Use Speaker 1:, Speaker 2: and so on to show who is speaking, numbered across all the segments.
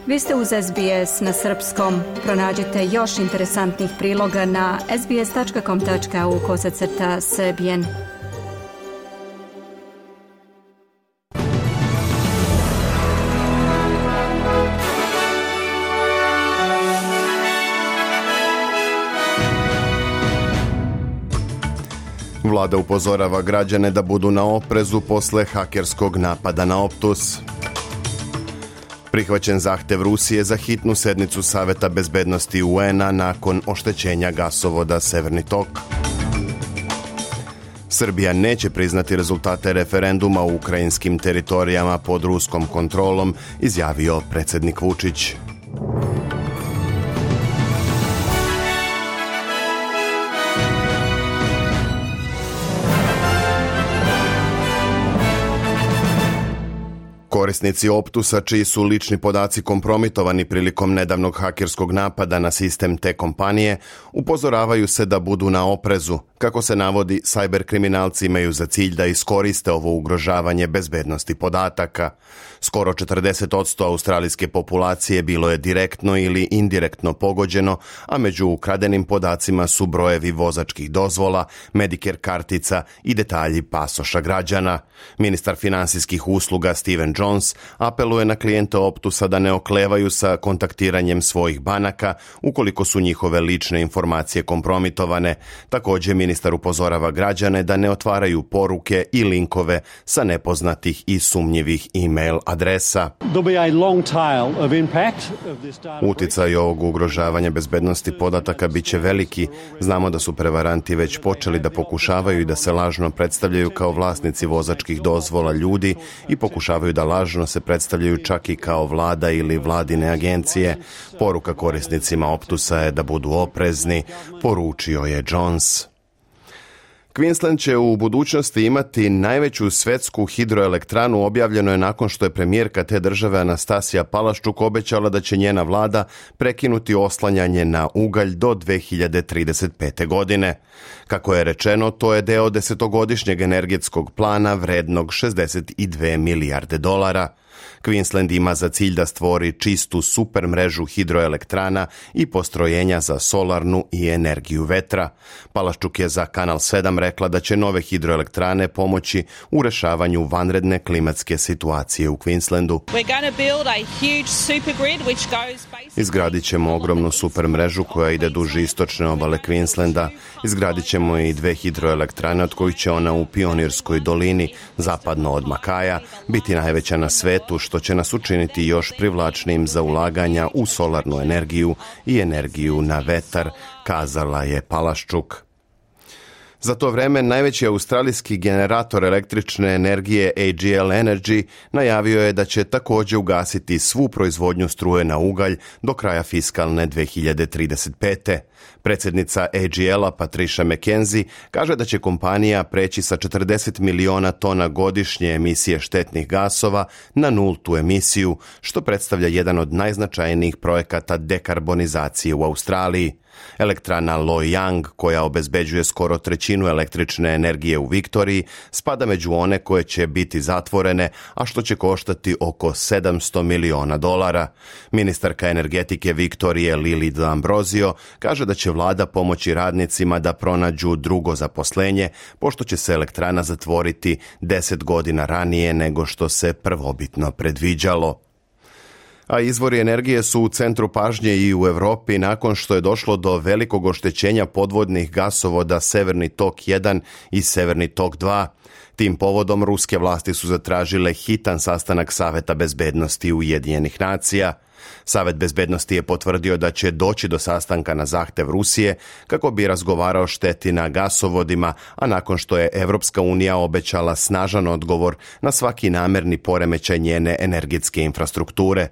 Speaker 1: Vi ste uz SBS na srpskom. Pronađite još interesantnih priloga na sbs.com.au/srbijen.
Speaker 2: Vlada upozorava građane da budu na oprezu posle hakerskog napada na Optus. Prihvaćen zahtev Rusije za hitnu sednicu Saveta bezbednosti UN-a nakon oštećenja gasovoda Severni tok. Srbija neće priznati rezultate referenduma u ukrajinskim teritorijama pod ruskom kontrolom, izjavio predsjednik Vučić. Korisnici Optusa, čiji su lični podaci kompromitovani prilikom nedavnog hakerskog napada na sistem te kompanije, upozoravaju se da budu na oprezu. Kako se navodi, sajber kriminalci imaju za cilj da iskoriste ovo ugrožavanje bezbednosti podataka. Skoro 40% australijske populacije bilo je direktno ili indirektno pogođeno, a među ukradenim podacima su brojevi vozačkih dozvola, Medicare kartica i detalji pasoša građana. Ministar finansijskih usluga Steven Jones apeluje na klijente Optusa da ne oklevaju sa kontaktiranjem svojih banaka ukoliko su njihove lične informacije kompromitovane. Također ministar upozorava građane da ne otvaraju poruke i linkove sa nepoznatih i sumnjivih e-mail adresa. Uticaj ovog ugrožavanja bezbednosti podataka bit će veliki. Znamo da su prevaranti već počeli da pokušavaju i da se lažno predstavljaju kao vlasnici vozačkih dozvola ljudi i pokušavaju da lažno se predstavljaju čak i kao vlada ili vladine agencije. Poruka korisnicima Optusa je da budu oprezni, poručio je Jones. Queensland će u budućnosti imati najveću svetsku hidroelektranu, objavljeno je nakon što je premijerka te države Anastasija Palaščuk obećala da će njena vlada prekinuti oslanjanje na ugalj do 2035. godine. Kako je rečeno, to je deo 10-godišnjeg energetskog plana vrednog $62 milijarde. Queensland ima za cilj da stvori čistu super mrežu hidroelektrana i postrojenja za solarnu i energiju vetra. Palaščuk je za Kanal 7 rekla da će nove hidroelektrane pomoći u rešavanju vanredne klimatske situacije u Queenslandu. Izgradit ćemo ogromnu super mrežu koja ide duž istočne obale Queenslanda. Izgradit ćemo i 2 hidroelektrane, od kojih će ona u Pionirskoj dolini, zapadno od Makaja, biti najveća na svetu, što će nas učiniti još privlačnim za ulaganja u solarnu energiju i energiju na vetar, kazala je Palaščuk. Za to vreme najveći australijski generator električne energije AGL Energy najavio je da će također ugasiti svu proizvodnju struje na ugalj do kraja fiskalne 2035. Predsjednica AGL-a Patricia McKenzie kaže da će kompanija preći sa 40 miliona tona godišnje emisije štetnih gasova na nultu emisiju, što predstavlja jedan od najznačajnijih projekata dekarbonizacije u Australiji. Elektrana Loy Yang, koja obezbeđuje skoro trećinu električne energije u Viktoriji, spada među one koje će biti zatvorene, a što će koštati oko $700 miliona. Ministarka energetike Viktorije Lili D'Ambrosio kaže da će vlada pomoći radnicima da pronađu drugo zaposlenje, pošto će se elektrana zatvoriti 10 godina ranije nego što se prvobitno predviđalo. A izvori energije su u centru pažnje i u Europi nakon što je došlo do velikog oštećenja podvodnih gasovoda Severni tok 1 i Severni tok 2. Tim povodom ruske vlasti su zatražile hitan sastanak Saveta bezbednosti Ujedinjenih nacija. Savet bezbednosti je potvrdio da će doći do sastanka na zahtev Rusije kako bi razgovarao šteti na gasovodima, a nakon što je Evropska unija obećala snažan odgovor na svaki namerni poremećaj njene energetske infrastrukture.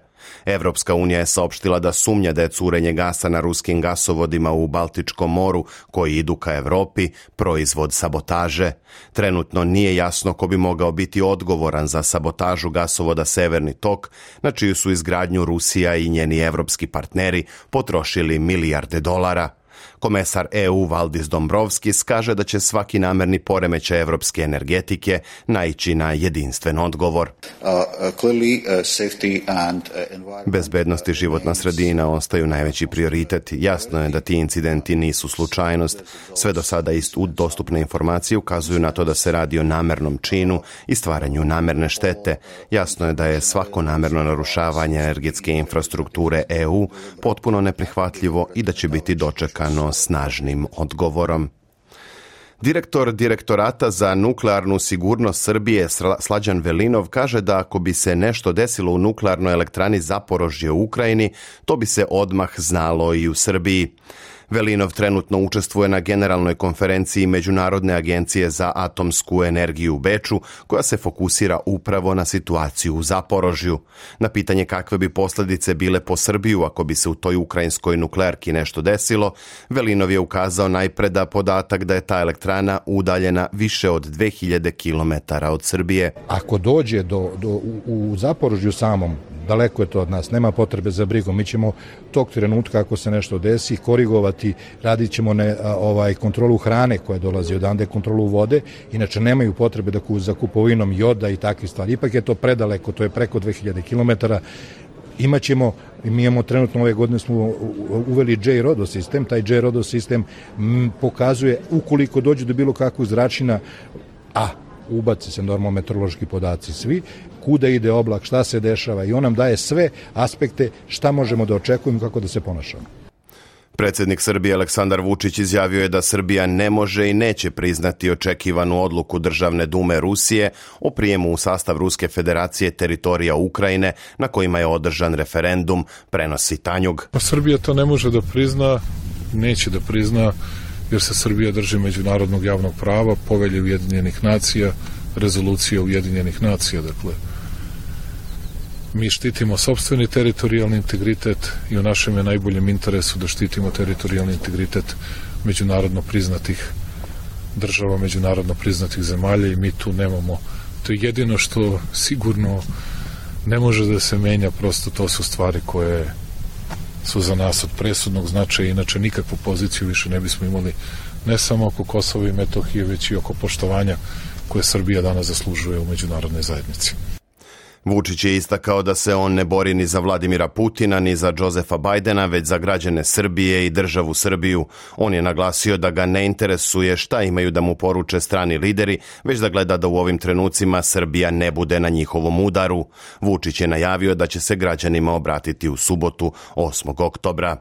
Speaker 2: Evropska unija je saopštila da sumnja da je curenje gasa na ruskim gasovodima u Baltičkom moru koji idu ka Evropi proizvod sabotaže. Trenutno nije jasno ko bi mogao biti odgovoran za sabotažu gasovoda Severni tok, na čiju su izgradnju Rusija i njeni evropski partneri potrošili milijarde dolara. Komesar EU Valdis Dombrovskis kaže da će svaki namerni poremećaj evropske energetike naići na jedinstven odgovor. Bezbednost i životna sredina ostaju najveći prioritet. Jasno je da ti incidenti nisu slučajnost. Sve do sada dostupne informacije ukazuju na to da se radi o namernom činu i stvaranju namerne štete. Jasno je da je svako namerno narušavanje energetske infrastrukture EU potpuno neprihvatljivo i da će biti dočekano snažnim odgovorom. Direktor Direktorata za nuklearnu sigurnost Srbije Slađan Velinov kaže da ako bi se nešto desilo u nuklearnoj elektrani Zaporožje u Ukrajini, to bi se odmah znalo i u Srbiji. Velinov trenutno učestvuje na generalnoj konferenciji Međunarodne agencije za atomsku energiju u Beču, koja se fokusira upravo na situaciju u Zaporožju. Na pitanje kakve bi posljedice bile po Srbiju ako bi se u toj ukrajinskoj nuklearki nešto desilo, Velinov je ukazao najpre da podatak da je ta elektrana udaljena više od 2000 km od Srbije.
Speaker 3: Ako dođe u Zaporožju samom, daleko je to od nas, nema potrebe za brigom. Mi ćemo tog trenutka, ako se nešto desi, korigovati, radit ćemo kontrolu hrane koja dolazi odande, kontrolu vode, inače nemaju potrebe za kupovinom joda i takve stvari. Ipak je to predaleko, to je preko 2000 km. Mi imamo trenutno ove godine smo uveli J-RODO sistem, taj J-RODO sistem pokazuje ukoliko dođe do bilo kakvog zračina, ubaci se normalno meteorološki podaci svi, kuda ide oblak, šta se dešava i on nam daje sve aspekte šta možemo da očekujemo kako da se ponašamo.
Speaker 2: Predsjednik Srbije Aleksandar Vučić izjavio je da Srbija ne može i neće priznati očekivanu odluku Državne dume Rusije o prijemu u sastav Ruske federacije teritorija Ukrajine na kojima je održan referendum, prenosi Tanjug.
Speaker 4: Srbija to ne može da prizna, neće da prizna, jer se Srbija drži međunarodnog javnog prava, Povelje Ujedinjenih nacija, rezolucije Ujedinjenih nacija. Dakle, mi štitimo sopstveni teritorijalni integritet i u našem je najboljem interesu da štitimo teritorijalni integritet međunarodno priznatih država, međunarodno priznatih zemalja i mi tu nemamo. To je jedino što sigurno ne može da se menja, prosto to su stvari koje su za nas od presudnog značaja, inače nikakvu poziciju više ne bismo imali ne samo oko Kosova i Metohije, već i oko poštovanja koje Srbija danas zaslužuje u međunarodnoj zajednici.
Speaker 2: Vučić je istakao da se on ne bori ni za Vladimira Putina, ni za Josefa Bajdena, već za građane Srbije i državu Srbiju. On je naglasio da ga ne interesuje šta imaju da mu poruče strani lideri, već da gleda da u ovim trenucima Srbija ne bude na njihovom udaru. Vučić je najavio da će se građanima obratiti u subotu 8. oktobra.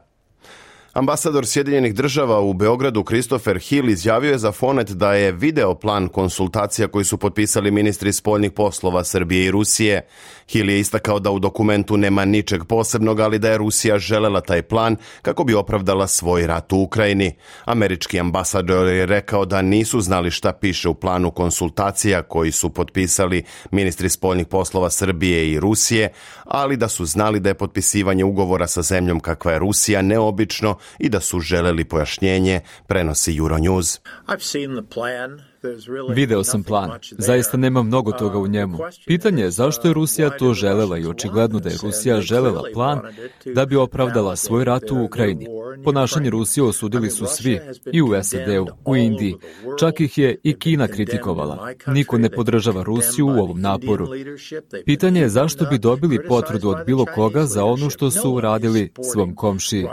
Speaker 2: Ambasador Sjedinjenih država u Beogradu Christopher Hill izjavio je za Fonet da je video plan konsultacija koji su potpisali ministri spoljnih poslova Srbije i Rusije. Hill je istakao da u dokumentu nema ničeg posebnog, ali da je Rusija želela taj plan kako bi opravdala svoj rat u Ukrajini. Američki ambasador je rekao da nisu znali šta piše u planu konsultacija koji su potpisali ministri spoljnih poslova Srbije i Rusije, ali da su znali da je potpisivanje ugovora sa zemljom kakva je Rusija neobično i da su želeli pojašnjenje, prenosi Euronews.
Speaker 5: Video sam plan. Zaista nema mnogo toga u njemu. Pitanje je zašto je Rusija to želela i očigledno da je Rusija želela plan da bi opravdala svoj rat u Ukrajini. Ponašanje Rusije osudili su svi, i u SAD-u, u Indiji. Čak ih je i Kina kritikovala. Niko ne podržava Rusiju u ovom naporu. Pitanje je zašto bi dobili potvrdu od bilo koga za ono što su uradili svom komšiji.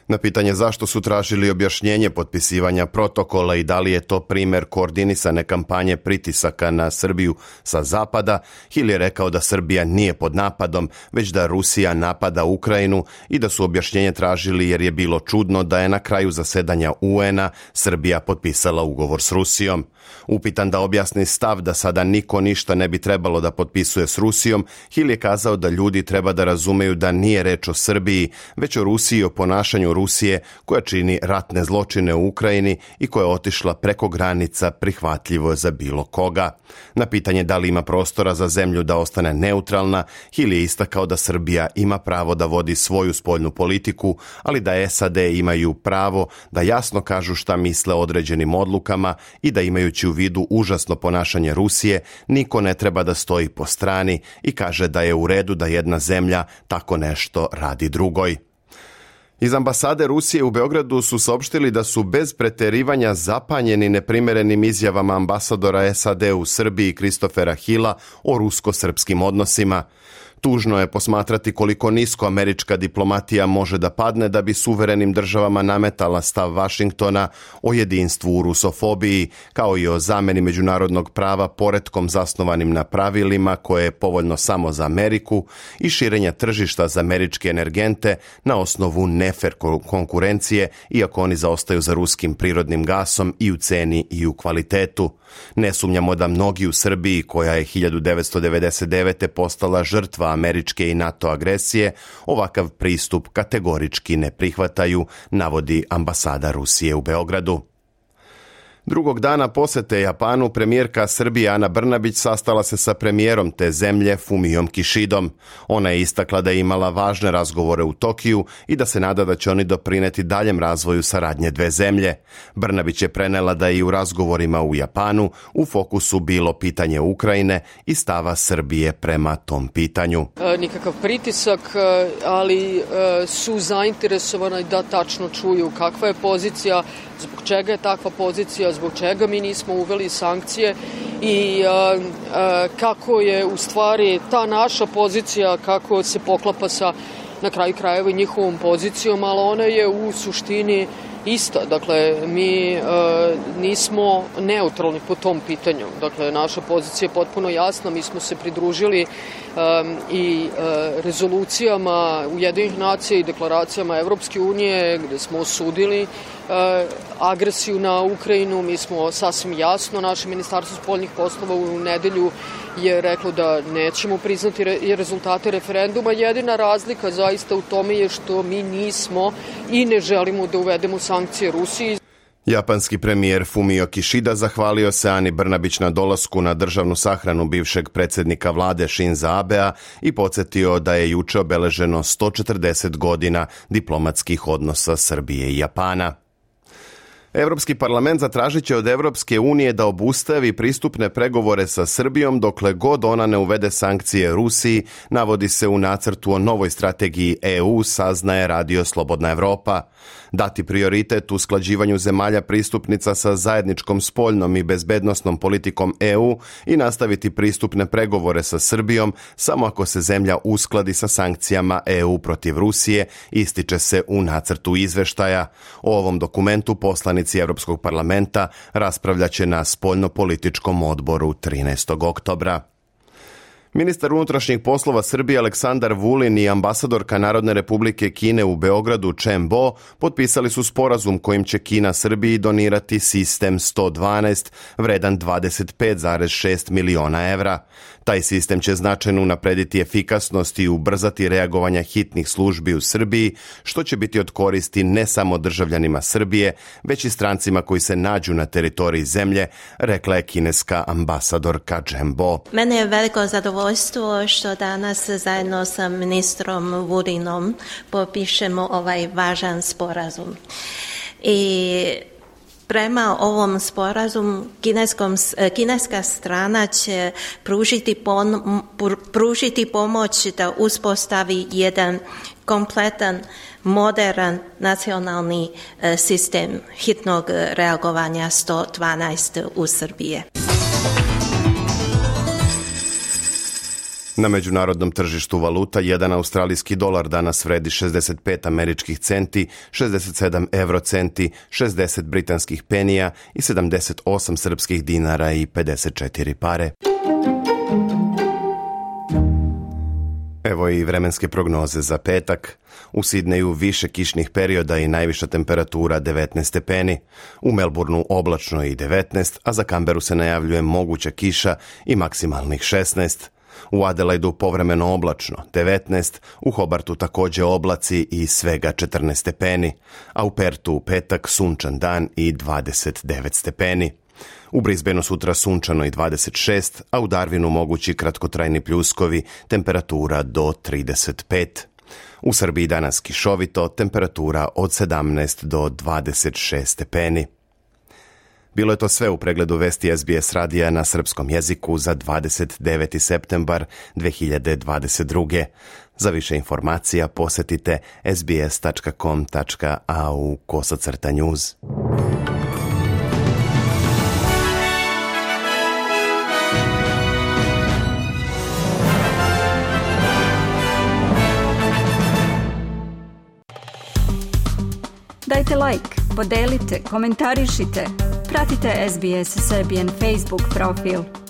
Speaker 2: Na pitanje zašto su tražili objašnjenje potpisivanja protokola i da li je to primjer koordinisane kampanje pritisaka na Srbiju sa zapada, Hill je rekao da Srbija nije pod napadom, već da Rusija napada Ukrajinu i da su objašnjenje tražili jer je bilo čudno da je na kraju zasedanja UN-a Srbija potpisala ugovor s Rusijom. Upitan da objasni stav da sada niko ništa ne bi trebalo da potpisuje s Rusijom, Hill je kazao da ljudi treba da razumeju da nije reč o Srbiji, već o Rusiji i o ponašanju Rusije koja čini ratne zločine u Ukrajini i koja je otišla preko granica prihvatljivo za bilo koga. Na pitanje da li ima prostora za zemlju da ostane neutralna, Hill je istakao da Srbija ima pravo da vodi svoju spoljnu politiku, ali da SAD imaju pravo da jasno kažu šta misle o određenim odlukama i da imajući u vidu užasno ponašanje Rusije, niko ne treba da stoji po strani i kaže da je u redu da jedna zemlja tako nešto radi drugoj. Iz ambasade Rusije u Beogradu su saopštili da su bez preterivanja zapanjeni neprimerenim izjavama ambasadora SAD u Srbiji Kristofera Hilla o rusko-srpskim odnosima. Tužno je posmatrati koliko nisko američka diplomatija može da padne da bi suverenim državama nametala stav Vašingtona o jedinstvu u rusofobiji, kao i o zameni međunarodnog prava poretkom zasnovanim na pravilima koje je povoljno samo za Ameriku i širenja tržišta za američke energente na osnovu nefer konkurencije, iako oni zaostaju za ruskim prirodnim gasom i u ceni i u kvalitetu. Ne sumnjamo da mnogi u Srbiji, koja je 1999. postala žrtva američke i NATO agresije, ovakav pristup kategorički ne prihvataju, navodi ambasada Rusije u Beogradu. Drugog dana posete Japanu premijerka Srbije Ana Brnabić sastala se sa premijerom te zemlje Fumijom Kišidom. Ona je istakla da je imala važne razgovore u Tokiju i da se nada da će oni doprineti daljem razvoju saradnje dve zemlje. Brnabić je prenela da je i u razgovorima u Japanu u fokusu bilo pitanje Ukrajine i stava Srbije prema tom pitanju.
Speaker 6: Nikakav pritisak, ali su zainteresovani da tačno čuju kakva je pozicija, zbog čega je takva pozicija, zbog čega mi nismo uveli sankcije i kako je u stvari ta naša pozicija, kako se poklapa sa na kraju krajeva i njihovom pozicijom, ali ona je u suštini ista. Dakle, mi nismo neutralni po tom pitanju. Dakle, naša pozicija je potpuno jasna. Mi smo se pridružili i rezolucijama Ujedinjenih nacija i deklaracijama Evropske unije gde smo osudili agresiju na Ukrajinu. Mi smo sasvim jasno, naše ministarstvo spoljnih poslova u nedelju je reklo da nećemo priznati rezultate referenduma. Jedina razlika zaista u tome je što mi nismo i ne želimo da uvedemo sankcije Rusiji.
Speaker 2: Japanski premijer Fumio Kishida zahvalio se Ani Brnabić na dolasku na državnu sahranu bivšeg predsjednika vlade Shinza Abea i podsjetio da je juče obeleženo 140 godina diplomatskih odnosa Srbije i Japana. Europski parlament zatražit će od Evropske unije da obustavi pristupne pregovore sa Srbijom dokle god ona ne uvede sankcije Rusiji, navodi se u nacrtu o novoj strategiji EU, saznaje Radio Slobodna Evropa. Dati prioritet u usklađivanju zemalja pristupnica sa zajedničkom spoljnom i bezbednosnom politikom EU i nastaviti pristupne pregovore sa Srbijom samo ako se zemlja uskladi sa sankcijama EU protiv Rusije, ističe se u nacrtu izveštaja. O ovom dokumentu poslanici Europskog parlamenta raspravljaće na spoljnopolitičkom odboru 13. oktobra. Ministar unutrašnjih poslova Srbije Aleksandar Vulin i ambasadorka Narodne republike Kine u Beogradu Chen Bo potpisali su sporazum kojim će Kina Srbiji donirati sistem 112 vredan 25,6 miliona evra. Taj sistem će značajno unaprediti efikasnost i ubrzati reagovanja hitnih službi u Srbiji, što će biti od koristi ne samo državljanima Srbije, već i strancima koji se nađu na teritoriji zemlje, rekla je kineska ambasadorka Chen Bo.
Speaker 7: Mene je veliko zadovoljstvo što danas zajedno sa ministrom Vulinom potpišemo ovaj važan sporazum. I prema ovom sporazumu kineska strana će pružiti pomoć da uspostavi jedan kompletan, moderan nacionalni sistem hitnog reagovanja 112 u Srbije.
Speaker 2: Na međunarodnom tržištu valuta jedan australijski dolar danas vredi 65 američkih centi, 67 eurocenti, 60 britanskih penija i 78 srpskih dinara i 54 pare. Evo i vremenske prognoze za petak. U Sidneju više kišnih perioda i najviša temperatura 19 stepeni. U Melbourneu oblačno i 19, a za Canberu se najavljuje moguća kiša i maksimalnih 16. U Adelaidu povremeno oblačno, 19, u Hobartu također oblaci i svega 14 stepeni, a u Pertu u petak sunčan dan i 29 stepeni. U Brisbaneu sutra sunčano i 26, a u Darwinu mogući kratkotrajni pljuskovi, temperatura do 35. U Srbiji danas kišovito, temperatura od 17 do 26 stepeni. Bilo je to sve u pregledu vesti SBS radija na srpskom jeziku za 29. septembar 2022. Za više informacija posjetite sbs.com.au/news.
Speaker 1: Dajte like, podelite, komentarišite. Pratite SBS Serbian Facebook profil.